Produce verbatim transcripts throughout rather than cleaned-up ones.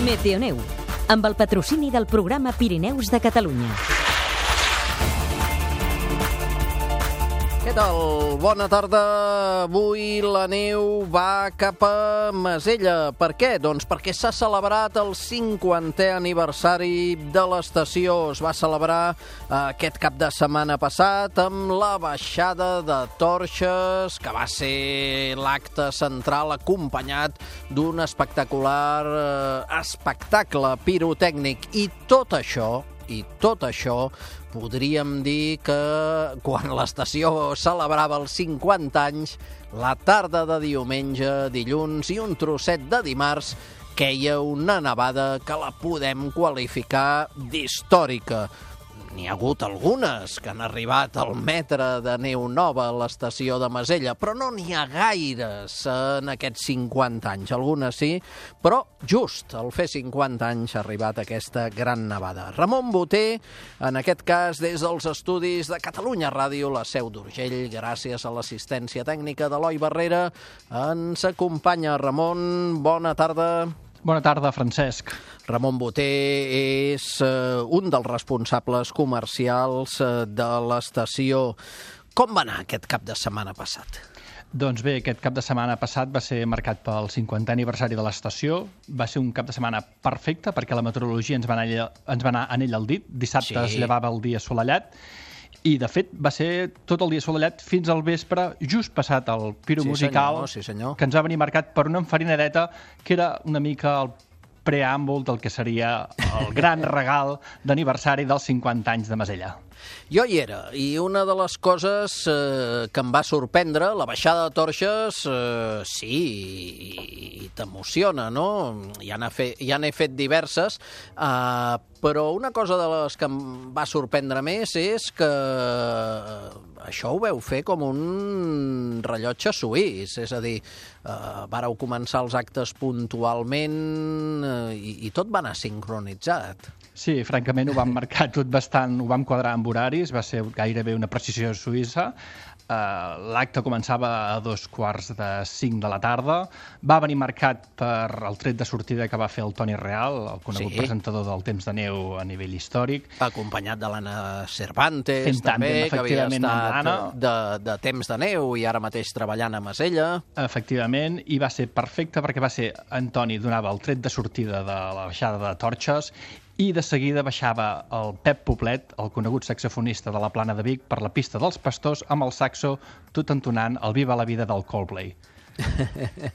Meteoneu, amb el patrocini del programa Pirineus de Catalunya. Què tal? Bona tarda. Avui la neu va cap a Masella. Per què? Doncs perquè s'ha celebrat el cinquantè aniversari de l'estació. Es va celebrar aquest cap de setmana passat amb la baixada de torxes, que va ser l'acte central acompanyat d'un espectacular eh, espectacle pirotècnic. I tot això, i tot això, podríem dir que quan l'estació celebrava els cinquanta anys, la tarda de diumenge, dilluns i un trosset de dimarts, queia una nevada que la podem qualificar d'històrica. N'hi ha hagut algunes que han arribat al metre de neu nova a l'estació de Masella, però no n'hi ha gaires en aquests cinquanta anys. Algunes sí, però just al fer cinquanta anys ha arribat aquesta gran nevada. Ramon Boter, en aquest cas des dels estudis de Catalunya Ràdio, la seu d'Urgell, gràcies a l'assistència tècnica d'Eloi Barrera, ens acompanya. Ramon, bona tarda. Bona tarda, Francesc. Ramon Boter és uh, un dels responsables comercials uh, de l'estació. Com va anar aquest cap de setmana passat? Doncs bé, aquest cap de setmana passat va ser marcat pel cinquantè aniversari de l'estació. Va ser un cap de setmana perfecte perquè la meteorologia ens va anar, ens va anar en ell al dit. Dissabte sí. Es llevava el dia assolellat. I, de fet, va ser tot el dia assolellat fins al vespre, just passat el piro sí, musical, senyor, sí, senyor. Que ens va venir marcat per una enfarinadeta que era una mica el preàmbul del que seria el gran regal d'aniversari dels cinquanta anys de Masella. Jo hi era, i una de les coses eh, que em va sorprendre, la baixada de torxes, eh, sí, i, i t'emociona, no? Ja n'he fet, ja n'he fet diverses, eh, però una cosa de les que em va sorprendre més és que això ho veu fer com un rellotge suís, és a dir, eh, vàreu començar els actes puntualment eh, i, i tot va anar sincronitzat. Sí, francament ho vam marcar tot bastant, ho vam quadrar amb horaris, va ser gairebé una precisió suïssa. Uh, L'acte començava a dos quarts de cinc de la tarda. Va venir marcat per el tret de sortida que va fer el Toni Real, el conegut sí. presentador del Temps de Neu a nivell històric. Acompanyat de l'Anna Cervantes, Fent també, tàndem, que havia estat de, de Temps de Neu i ara mateix treballant a Masella. Efectivament, i va ser perfecte perquè va ser Antoni donava el tret de sortida de la baixada de torxes i de seguida baixava el Pep Poblet, el conegut saxofonista de la Plana de Vic, per la pista dels Pastors amb el saxo tot entonant el Viva la vida del Coldplay.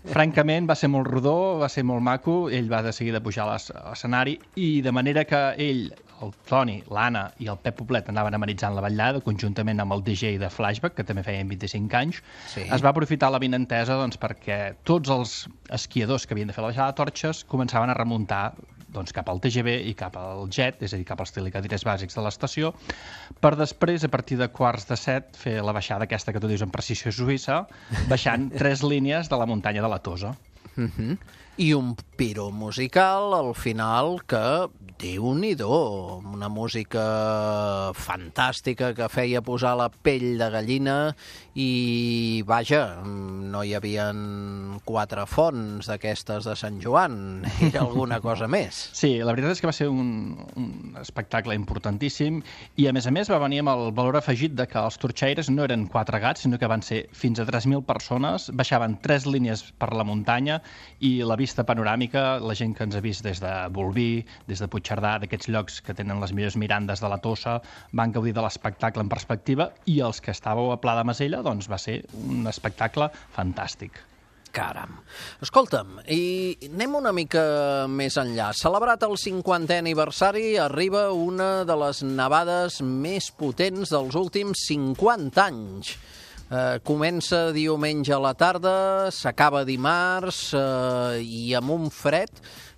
Francament, va ser molt rodó, va ser molt maco, ell va de seguida pujar a l'escenari i de manera que ell, el Toni, l'Anna i el Pep Poblet anaven amenitzant la ballada conjuntament amb el D J de Flashback, que també feien vint-i-cinc anys, sí. Es va aprofitar la vinentesa doncs, perquè tots els esquiadors que havien de fer la baixada de torxes començaven a remuntar doncs, cap al T G V i cap al Jet, és a dir, cap als telecadires bàsics de l'estació, per després, a partir de quarts de set, fer la baixada aquesta que tu dius en precisió suïssa, baixant tres línies de la muntanya de la Tosa. Uh-huh. I un piro musical al final que, déu-n'hi-do, una música fantàstica que feia posar la pell de gallina i, vaja, no hi havia quatre fonts d'aquestes de Sant Joan, era alguna cosa més. Sí, la veritat és que va ser un, un espectacle importantíssim i, a més a més, va venir amb el valor afegit de que els torxaires no eren quatre gats, sinó que van ser fins a tres mil persones, baixaven tres línies per la muntanya i la vista panoràmica, la gent que ens ha vist des de Bolvir, des de Puigcerdà, d'aquests llocs que tenen les millors mirandes de la Tossa, van gaudir de l'espectacle en perspectiva i els que estàveu a Pla de Masella, doncs va ser un espectacle fantàstic. Caram. Escolta'm, i anem una mica més enllà. Celebrat el cinquantè aniversari, arriba una de les nevades més potents dels últims cinquanta anys. Eh, comença diumenge a la tarda, s'acaba dimarts eh, i amb un fred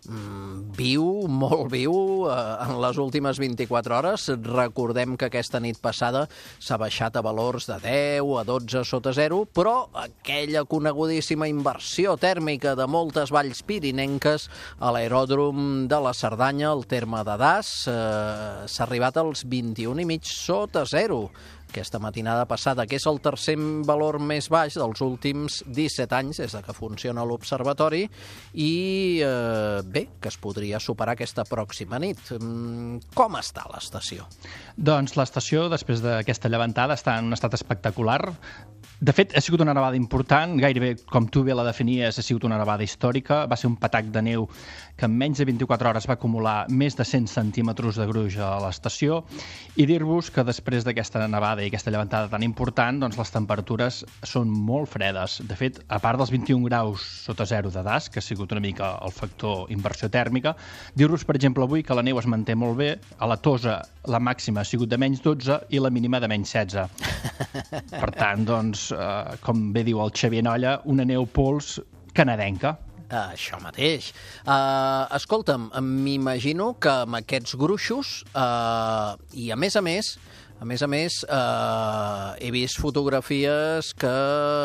mm, viu, molt viu, eh, en les últimes vint-i-quatre hores. Recordem que aquesta nit passada s'ha baixat a valors de deu a dotze sota zero, però aquella conegudíssima inversió tèrmica de moltes valls pirinenques a l'aeròdrom de la Cerdanya, al terme de Das, eh, s'ha arribat als vint-i-un i mig sota zero. aquesta matinada passada, que és el tercer valor més baix dels últims disset anys des que funciona l'observatori i, eh, bé, que es podria superar aquesta pròxima nit. Com està l'estació? Doncs l'estació, després d'aquesta llevantada, està en un estat espectacular. De fet, ha sigut una nevada important, gairebé, com tu bé la definies, ha sigut una nevada històrica. Va ser un patac de neu que en menys de vint-i-quatre hores va acumular més de cent centímetres de gruix a l'estació. I dir-vos que després d'aquesta nevada i aquesta llevantada tan important, doncs les temperatures són molt fredes. De fet, a part dels vint-i-un graus sota zero de das, que ha sigut una mica el factor inversió tèrmica, dir-vos, per exemple, avui que la neu es manté molt bé. A la Tosa la màxima ha sigut de menys dotze i la mínima de menys setze. Per tant, doncs, eh, com bé diu el Xavier Nolla, una neu pols canadenca. Uh, això mateix. Uh, escolta'm, m'imagino que amb aquests gruixos, uh, i a més a més, a més a més, uh, he vist fotografies que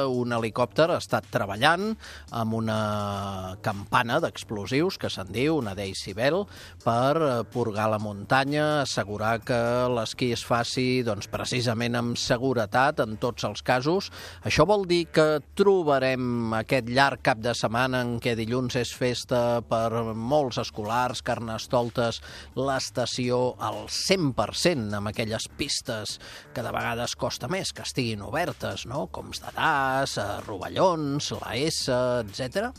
un helicòpter ha estat treballant amb una campana d'explosius, que se'n diu, una Decibel, per purgar la muntanya, assegurar que l'esquí es faci doncs, precisament amb seguretat en tots els casos. Això vol dir que trobarem aquest llarg cap de setmana en què dilluns és festa per molts escolars, carnestoltes, l'estació al cent per cent amb aquelles pistes que de vegades costa més que estiguin obertes, no? Com de Das, Rovellons, la S, etcètera.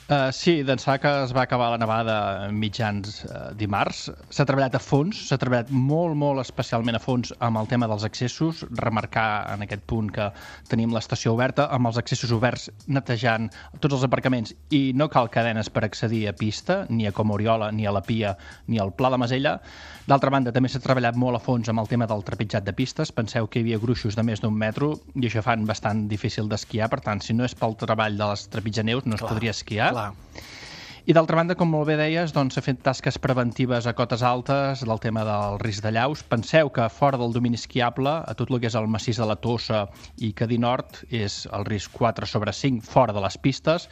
Uh, sí, d'ençà que es va acabar la nevada mitjans uh, dimarts, s'ha treballat a fons, s'ha treballat molt, molt especialment a fons amb el tema dels accessos, remarcar en aquest punt que tenim l'estació oberta, amb els accessos oberts netejant tots els aparcaments i no cal cadenes per accedir a pista, ni a Comoriola, ni a la Pia, ni al Pla de Masella. D'altra banda, també s'ha treballat molt a fons amb el tema del trepitjat de pistes. Penseu que hi havia gruixos de més d'un metro i això fan bastant difícil d'esquiar, per tant, si no és pel treball de les trepitjaneus no es Clar. podria esquiar. Clar. I d'altra banda, com molt bé deies, doncs, s'ha fet tasques preventives a cotes altes del tema del risc de llaus. Penseu que fora del domini esquiable, a tot el que és el massís de la Tossa i Cadí Nord, és el risc quatre sobre cinc fora de les pistes.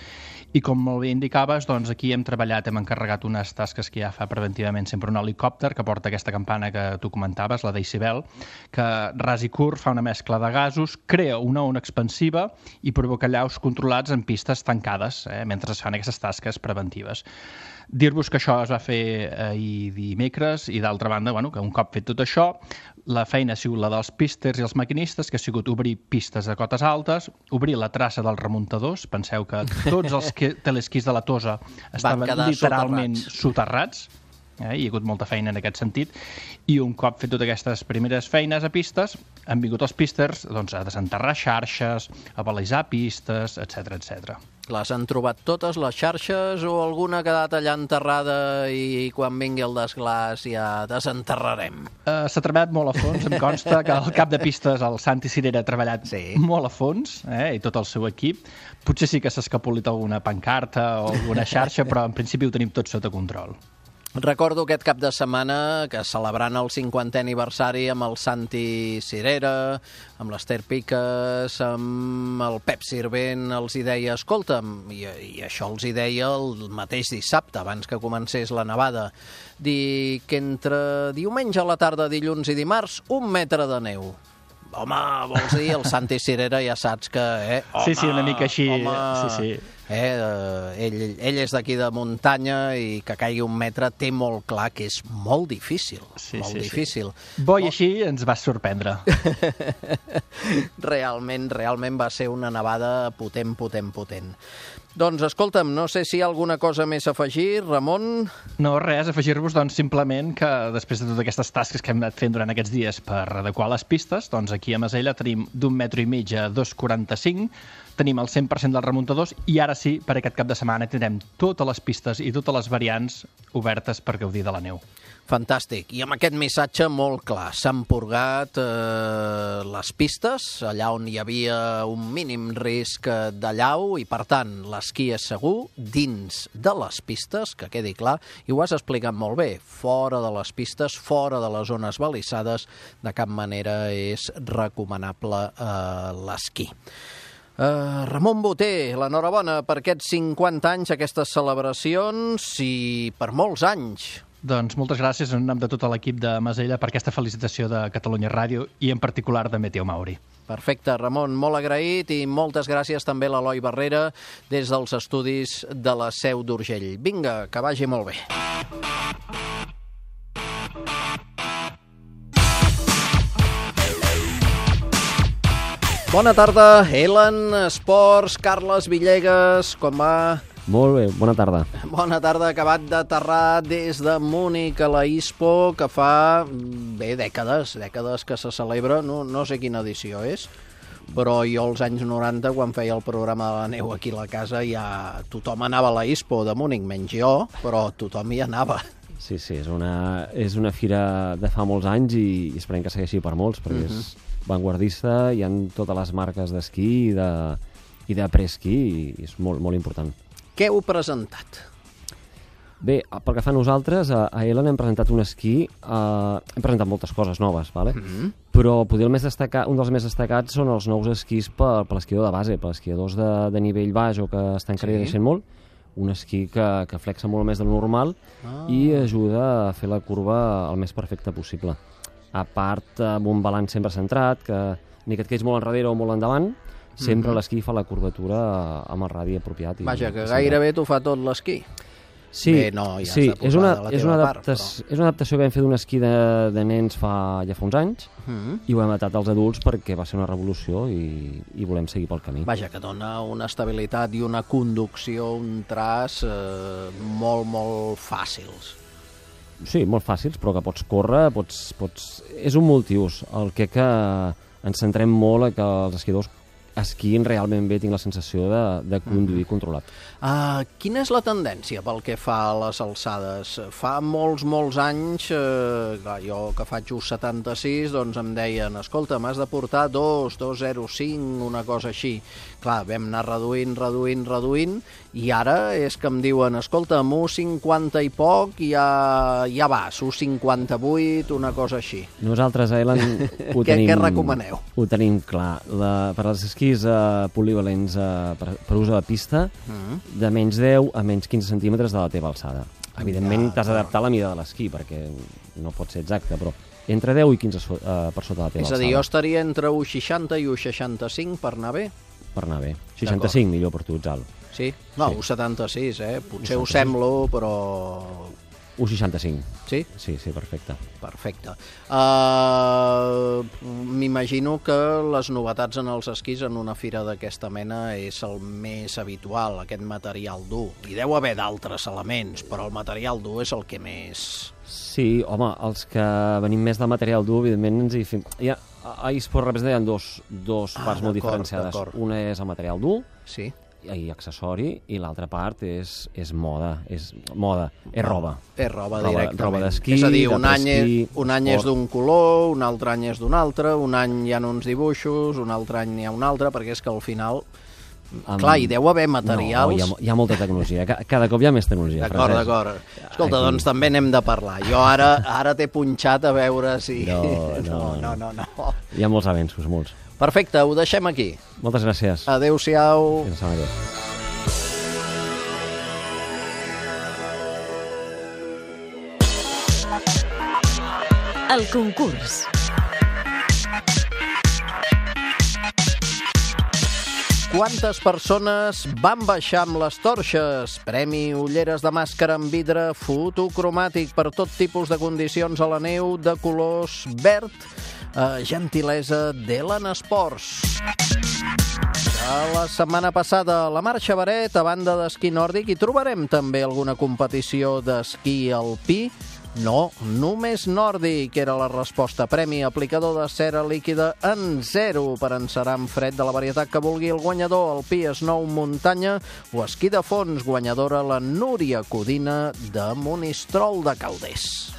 I com molt bé indicaves, doncs aquí hem treballat, hem encarregat unes tasques que ja fa preventivament sempre un helicòpter que porta aquesta campana que tu comentaves, la Decibel, que ras i curt fa una mescla de gasos, crea una ona expansiva i provoca llaus controlats en pistes tancades, eh, mentre es fan aquestes tasques preventives. Dir-vos que això es va fer ahir dimecres i d'altra banda, bueno, que un cop fet tot això, la feina ha sigut la dels pisters i els maquinistes, que ha sigut obrir pistes de cotes altes, obrir la traça dels remuntadors. Penseu que tots els telesquís de la Tosa estaven literalment soterrats. Eh? Hi ha hagut molta feina en aquest sentit i un cop fet totes aquestes primeres feines a pistes han vingut els pisters doncs, a desenterrar xarxes, a balisar pistes, etcètera, etcètera. Les han trobat totes, les xarxes, o alguna ha quedat allà enterrada i quan vingui el desglàs ja desenterrarem? Uh, S'ha treballat molt a fons, em consta que el cap de pistes, el Santi Cirera, ha treballat sí. molt a fons, eh, i tot el seu equip. Potser sí que s'ha escapolit alguna pancarta o alguna xarxa, però en principi ho tenim tot sota control. Recordo aquest cap de setmana que celebrant el cinquantè aniversari amb el Santi Cirera, amb l'Ester Piques, amb el Pep Sirvent, els hi deia, escolta'm, i, i això els hi deia el mateix dissabte, abans que comencés la nevada, dir que entre diumenge a la tarda, dilluns i dimarts, un metre de neu. Home, vols dir, el Santi Cirera ja saps que... Eh, home, sí, sí, una mica així, home, sí, sí. Eh, ell, ell és d'aquí de muntanya i que caigui un metre té molt clar que és molt difícil. Sí, molt sí, difícil. Sí. Bo i així ens va sorprendre. realment, realment va ser una nevada potent, potent, potent. Doncs escolta'm, no sé si hi ha alguna cosa més a afegir, Ramon. No, res, afegir-vos doncs simplement que després de totes aquestes tasques que hem anat fent durant aquests dies per adequar les pistes, doncs aquí a Masella tenim d'un metro i mig a dos coma quaranta-cinc, tenim el cent per cent dels remuntadors i ara sí, per aquest cap de setmana tindrem totes les pistes i totes les variants obertes per gaudir de la neu. Fantàstic. I amb aquest missatge molt clar. S'han purgat eh, les pistes, allà on hi havia un mínim risc de llau i, per tant, l'esquí és segur dins de les pistes, que quedi clar, i ho has explicat molt bé. Fora de les pistes, fora de les zones balissades, de cap manera és recomanable eh, l'esquí. Uh, Ramon Boter, l'enhorabona per aquests cinquanta anys, aquestes celebracions i per molts anys. Doncs moltes gràcies en nom de tot l'equip de Masella per aquesta felicitació de Catalunya Ràdio i en particular de Meteo Mauri. Perfecte, Ramon, molt agraït i moltes gràcies també a l'Eloi Barrera des dels estudis de la Seu d'Urgell. Vinga, que vagi molt bé. Bona tarda, Elen Esports, Carles Villegas, com va? Molt bé, bona tarda. Bona tarda, acabat d'aterrar des de Múnich a la ISPO, que fa, bé, dècades, dècades que se celebra, no, no sé quina edició és, però jo als anys noranta, quan feia el programa de la neu aquí a la casa, ja tothom anava a la ISPO de Múnich, menys jo, però tothom hi anava. Sí, sí, és una, és una fira de fa molts anys i esperem que segueixi per molts, perquè uh-huh. és vanguardista, hi ha totes les marques d'esquí i de, i de preesquí i és molt, molt important. Què heu presentat? Bé, pel que fa a nosaltres, a, a Elen hem presentat un esquí, uh, hem presentat moltes coses noves, vale? Mm-hmm. Però potser el més destacat, un dels més destacats són els nous esquís per, per l'esquiador de base, per esquiadors de, de nivell baix o que estan creixent sí. molt, un esquí que, que flexa molt més del normal ah. i ajuda a fer la curva el més perfecta possible. A part, amb un balanç sempre centrat, que ni que et quedis molt enrere o molt endavant, sempre mm-hmm. l'esquí fa la curvatura amb el radi apropiat. I Vaja, que gairebé t'ho fa tot l'esquí. Sí, Bé, no, ja sí és, una, de la és, una part, adaptació, però... és una adaptació que vam fer d'un esquí de, de nens fa, ja fa uns anys mm-hmm. i ho hem adaptat als adults perquè va ser una revolució i, i volem seguir pel camí. Vaja, que dona una estabilitat i una conducció, un traç eh, molt, molt fàcils. Sí, molt fàcils, però que pots córrer, pots, pots... és un multiús. El que, que ens centrem molt a que els esquiadors esquiïn realment bé, tinc la sensació de, de conduir mm. controlat. Uh, quina és la tendència pel que fa a les alçades? Fa molts, molts anys, eh, clar, jo que faig just setanta-sis, doncs em deien, escolta, m'has de portar dos, dos zero cinc, una cosa així. Clar, vam anar reduint, reduint, reduint, i ara és que em diuen, escolta, amb un cinquanta i poc ja, ja vas, un cinquanta-vuit, una cosa així. Nosaltres a Elen ho què, tenim... Què recomaneu? Ho tenim clar. La, per als esquís uh, polivalents uh, per, per ús a la pista, mm. de menys deu a menys quinze centímetres de la teva alçada. Evidentment ja, t'has d'adaptar a la mida de l'esquí, perquè no pot ser exacte, però entre deu i quinze so, uh, per sota de la teva alçada. És a dir, jo estaria entre un seixanta i un seixanta-cinc per anar bé? Per anar bé. seixanta-cinc millor per tu, ets alt. Sí? No, sí. un setanta-sis, eh? Potser ho semblo, però... un seixanta-cinc. Sí? Sí, sí, perfecte. Perfecte. Uh, M'imagino que les novetats en els esquís en una fira d'aquesta mena és el més habitual, aquest material dur. Hi deu haver d'altres elements, però el material dur és el que més... Sí, home, els que venim més de material dur, evidentment ens hi fem... Ja, a ISPO representa hi ha dos, dos ah, parts molt diferenciades. Una és el material dur, sí. i accessori, i l'altra part és, és moda, és moda, és roba. És roba, roba directament. Roba d'esquí, és a dir, un any, és, un any és d'un color, un altre any és d'un altre, un any hi ha uns dibuixos, un altre any hi ha un altre, perquè és que al final... Um, clar, hi deu haver materials... No, hi ha, hi ha molta tecnologia, cada cop hi ha més tecnologia. D'acord, d'acord. Escolta, Aquí... doncs també n'hem de parlar. Jo ara ara t'he punxat a veure si... No no no, no, no, no. Hi ha molts avenços, molts. Perfecte, ho deixem aquí. Moltes gràcies. Adéu-siau. Fins la setmana. El concurs. Quantes persones van baixar amb les torxes? Premi ulleres de màscara amb vidre fotocromàtic per tot tipus de condicions a la neu de colors verd, eh, gentilesa d'Elen Esports. A la setmana passada a la Marxa Baret, a banda d'esquí nòrdic, hi trobarem també alguna competició d'esquí alpí. No, només nòrdic era la resposta. Premi aplicador de cera líquida en zero per encerar amb fred de la varietat que vulgui el guanyador. Alpí, snow, muntanya o esquí de fons. Guanyadora la Núria Codina de Monistrol de Calders.